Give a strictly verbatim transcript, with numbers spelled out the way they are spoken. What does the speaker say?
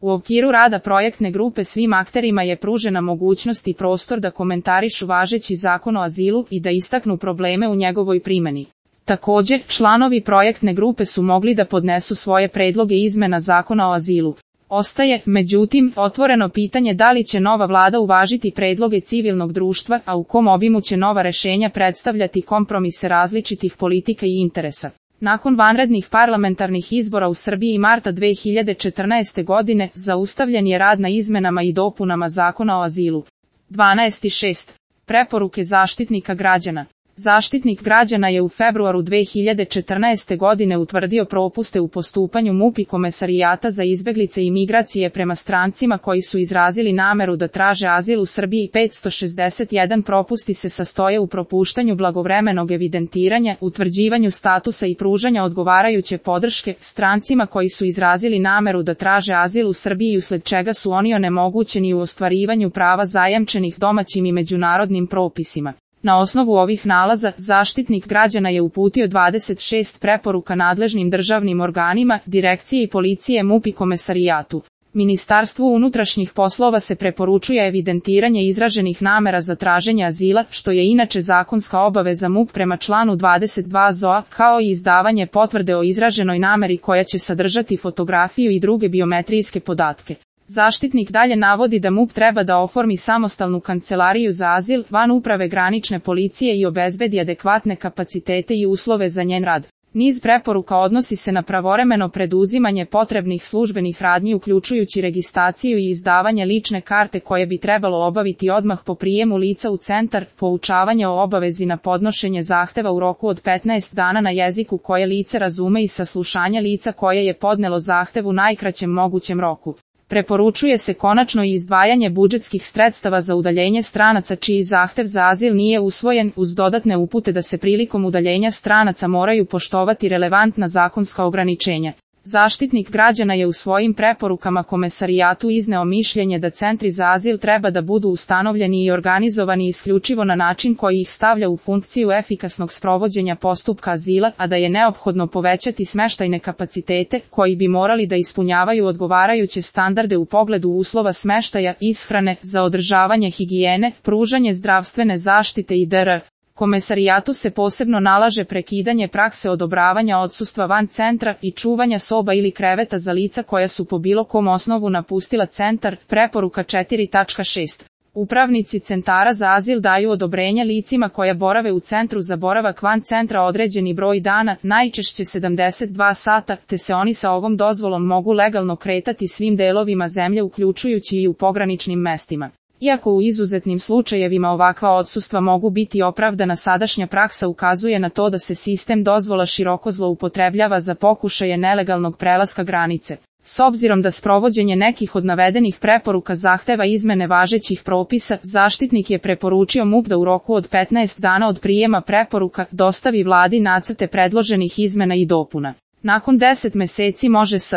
U okviru rada projektne grupe svim akterima je pružena mogućnost i prostor da komentarišu važeći zakon o azilu i da istaknu probleme u njegovoj primjeni. Također, članovi projektne grupe su mogli da podnesu svoje predloge izmena zakona o azilu. Ostaje, međutim, otvoreno pitanje da li će nova vlada uvažiti predloge civilnog društva, a u kom obimu će nova rešenja predstavljati kompromise različitih politika i interesa. Nakon vanrednih parlamentarnih izbora u Srbiji marta dve hiljade četrnaeste. godine, zaustavljen je rad na izmenama i dopunama zakona o azilu. dvanaest šest. Preporuke Zaštitnika građana. Zaštitnik građana je u februaru dve hiljade četrnaeste. godine utvrdio propuste u postupanju MUP i Komesarijata za izbeglice i migracije prema strancima koji su izrazili nameru da traže azil u Srbiji. petsto šezdeset jedan propusti se sastoje u propuštanju blagovremenog evidentiranja, utvrđivanju statusa i pružanja odgovarajuće podrške strancima koji su izrazili nameru da traže azil u Srbiji, usled čega su oni onemogućeni u ostvarivanju prava zajamčenih domaćim i međunarodnim propisima. Na osnovu ovih nalaza, Zaštitnik građana je uputio dvadeset šest preporuka nadležnim državnim organima, direkcije i policije MUP i Komesarijatu. Ministarstvu unutrašnjih poslova se preporučuje evidentiranje izraženih namera za traženje azila, što je inače zakonska obaveza MUP prema članu dvadeset dva Z O A, kao i izdavanje potvrde o izraženoj nameri koja će sadržati fotografiju i druge biometrijske podatke. Zaštitnik dalje navodi da MUP treba da oformi samostalnu kancelariju za azil van uprave granične policije i obezbedi adekvatne kapacitete i uslove za njen rad. Niz preporuka odnosi se na pravovremeno preduzimanje potrebnih službenih radnji uključujući registraciju i izdavanje lične karte koje bi trebalo obaviti odmah po prijemu lica u centar, poučavanje o obavezi na podnošenje zahteva u roku od petnaest dana na jeziku koje lice razume i saslušanje lica koje je podnelo zahtev u najkraćem mogućem roku. Preporučuje se konačno i izdvajanje budžetskih sredstava za udaljenje stranaca čiji zahtev za azil nije usvojen, uz dodatne upute da se prilikom udaljenja stranaca moraju poštovati relevantna zakonska ograničenja. Zaštitnik građana je u svojim preporukama Komesarijatu izneo mišljenje da centri za azil treba da budu ustanovljeni i organizovani isključivo na način koji ih stavlja u funkciju efikasnog sprovođenja postupka azila, a da je neophodno povećati smeštajne kapacitete, koji bi morali da ispunjavaju odgovarajuće standarde u pogledu uslova smeštaja, ishrane, za održavanje higijene, pružanje zdravstvene zaštite i dr. Komesarijatu se posebno nalaže prekidanje prakse odobravanja odsustva van centra i čuvanja soba ili kreveta za lica koja su po bilo kom osnovu napustila centar. Preporuka četiri tačka šest. Upravnici centara za azil daju odobrenje licima koja borave u centru za boravak van centra određeni broj dana, najčešće sedamdeset dva sata, te se oni sa ovom dozvolom mogu legalno kretati svim delovima zemlje uključujući i u pograničnim mestima. Iako u izuzetnim slučajevima ovakva odsustva mogu biti opravdana, sadašnja praksa ukazuje na to da se sistem dozvola široko zloupotrebljava za pokušaje nelegalnog prelaska granice. S obzirom da sprovođenje nekih od navedenih preporuka zahteva izmene važećih propisa, zaštitnik je preporučio MUP da u roku od petnaest dana od prijema preporuka dostavi vladi nacrte predloženih izmena i dopuna. Nakon deset meseci može s